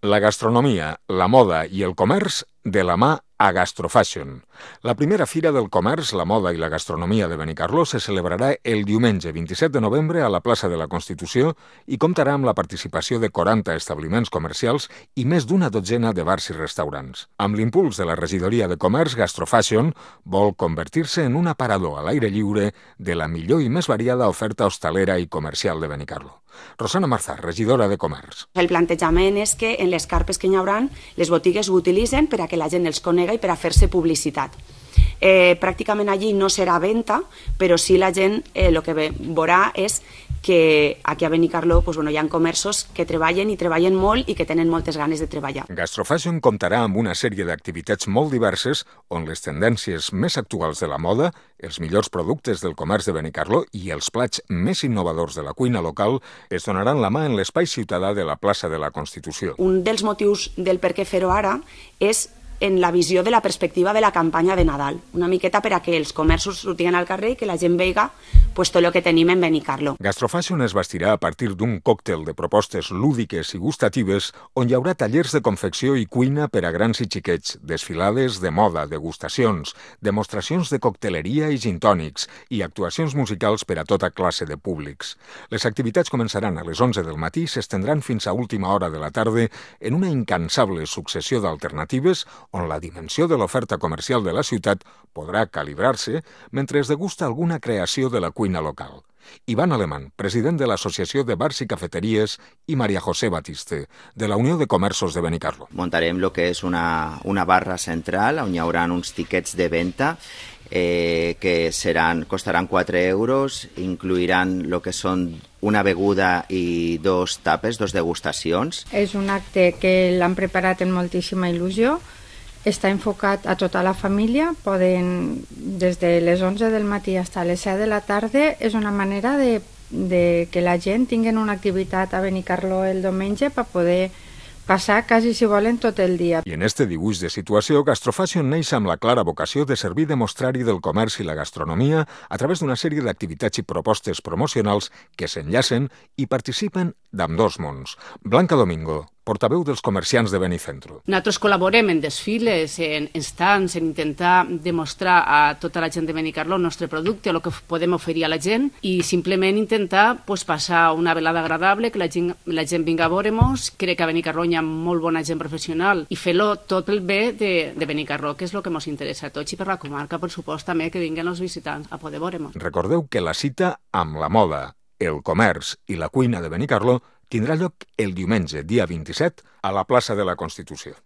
La gastronomia, la moda i el comerç de la mà a Gastrofashion. La primera fira del comerç, la moda i la gastronomia de Benicarló se celebrarà el diumenge 27 de novembre a la plaça de la Constitució i comptarà amb la participació de 40 establiments comercials i més d'una dotzena de bars i restaurants. Amb l'impuls de la regidoria de comerç, Gastrofashion vol convertir-se en un aparador a l'aire lliure de la millor i més variada oferta hostalera i comercial de Benicarló. Rosana Marzà, regidora de Comerç. El plantejament és que en les carpes que hi haurà, les botigues ho utilitzen per a que la gent els conega i per a fer-se publicitat. Pràcticament allí no serà venda, però sí la gent el que veurà és que aquí a Benicarló hi ha comerços que treballen i treballen molt i que tenen moltes ganes de treballar. Gastrofashion comptarà amb una sèrie d'activitats molt diverses on les tendències més actuals de la moda, els millors productes del comerç de Benicarló i els plats més innovadors de la cuina local es donaran la mà en l'espai ciutadà de la plaça de la Constitució. Un dels motius del per què fer-ho ara és en la visió de la perspectiva de la campanya de Nadal, una miqueta per a que els comerços sortiguen al carrer i que la gent veiga tot el que tenim en Benicarló. Gastrofashion es bastirà a partir d'un còctel de propostes lúdiques i gustatives on hi haurà tallers de confecció i cuina per a grans i xiquets, desfilades de moda, degustacions, demostracions de cocteleria i gintònics i actuacions musicals per a tota classe de públics. Les activitats començaran a les 11 del matí i s'estendran fins a última hora de la tarda en una incansable successió d'alternatives on la dimensió de l'oferta comercial de la ciutat podrà calibrar-se mentre es degusta alguna creació de la cuina local. Iván Alemán, president de l'Associació de Bars i Cafeteries, i María José Batiste, de la Unió de Comerços de Benicarló. Muntarem lo que és una barra central on hi haurà uns tiquets de venda que costaran 4 euros, incluiran lo que són una beguda i 2 tapes, 2 degustacions. És un acte que l'han preparat amb moltíssima il·lusió. Està enfocat a tota la família, poden des de les 11 del matí fins a les 7 de la tarda. És una manera de que la gent tingui una activitat a Benicarló el diumenge per poder passar quasi, si volen, tot el dia. I en este dibuix de situació, Gastrofashion neix amb la clara vocació de servir de mostrari del comerç i la gastronomia a través d'una sèrie d'activitats i propostes promocionals que s'enllacen i participen d'ambdós mons. Blanca Domingo, portaveu dels comerciants de Benicentro. Nosaltres col·laborem en desfiles, en stands, en intentar demostrar a tota la gent de Benicarló el nostre producte, el que podem oferir a la gent i simplement intentar passar una velada agradable, que la gent vinga a veure-nos. Crec que a Benicarló hi ha molt bona gent professional i fer-lo tot el bé de Benicarló, que és el que ens interessa a tots i per la comarca, per supost, també que vinguen els visitants a poder veure-nos. Recordeu que la cita amb la moda, el comerç i la cuina de Benicarló tindrà lloc el diumenge, dia 27, a la plaça de la Constitució.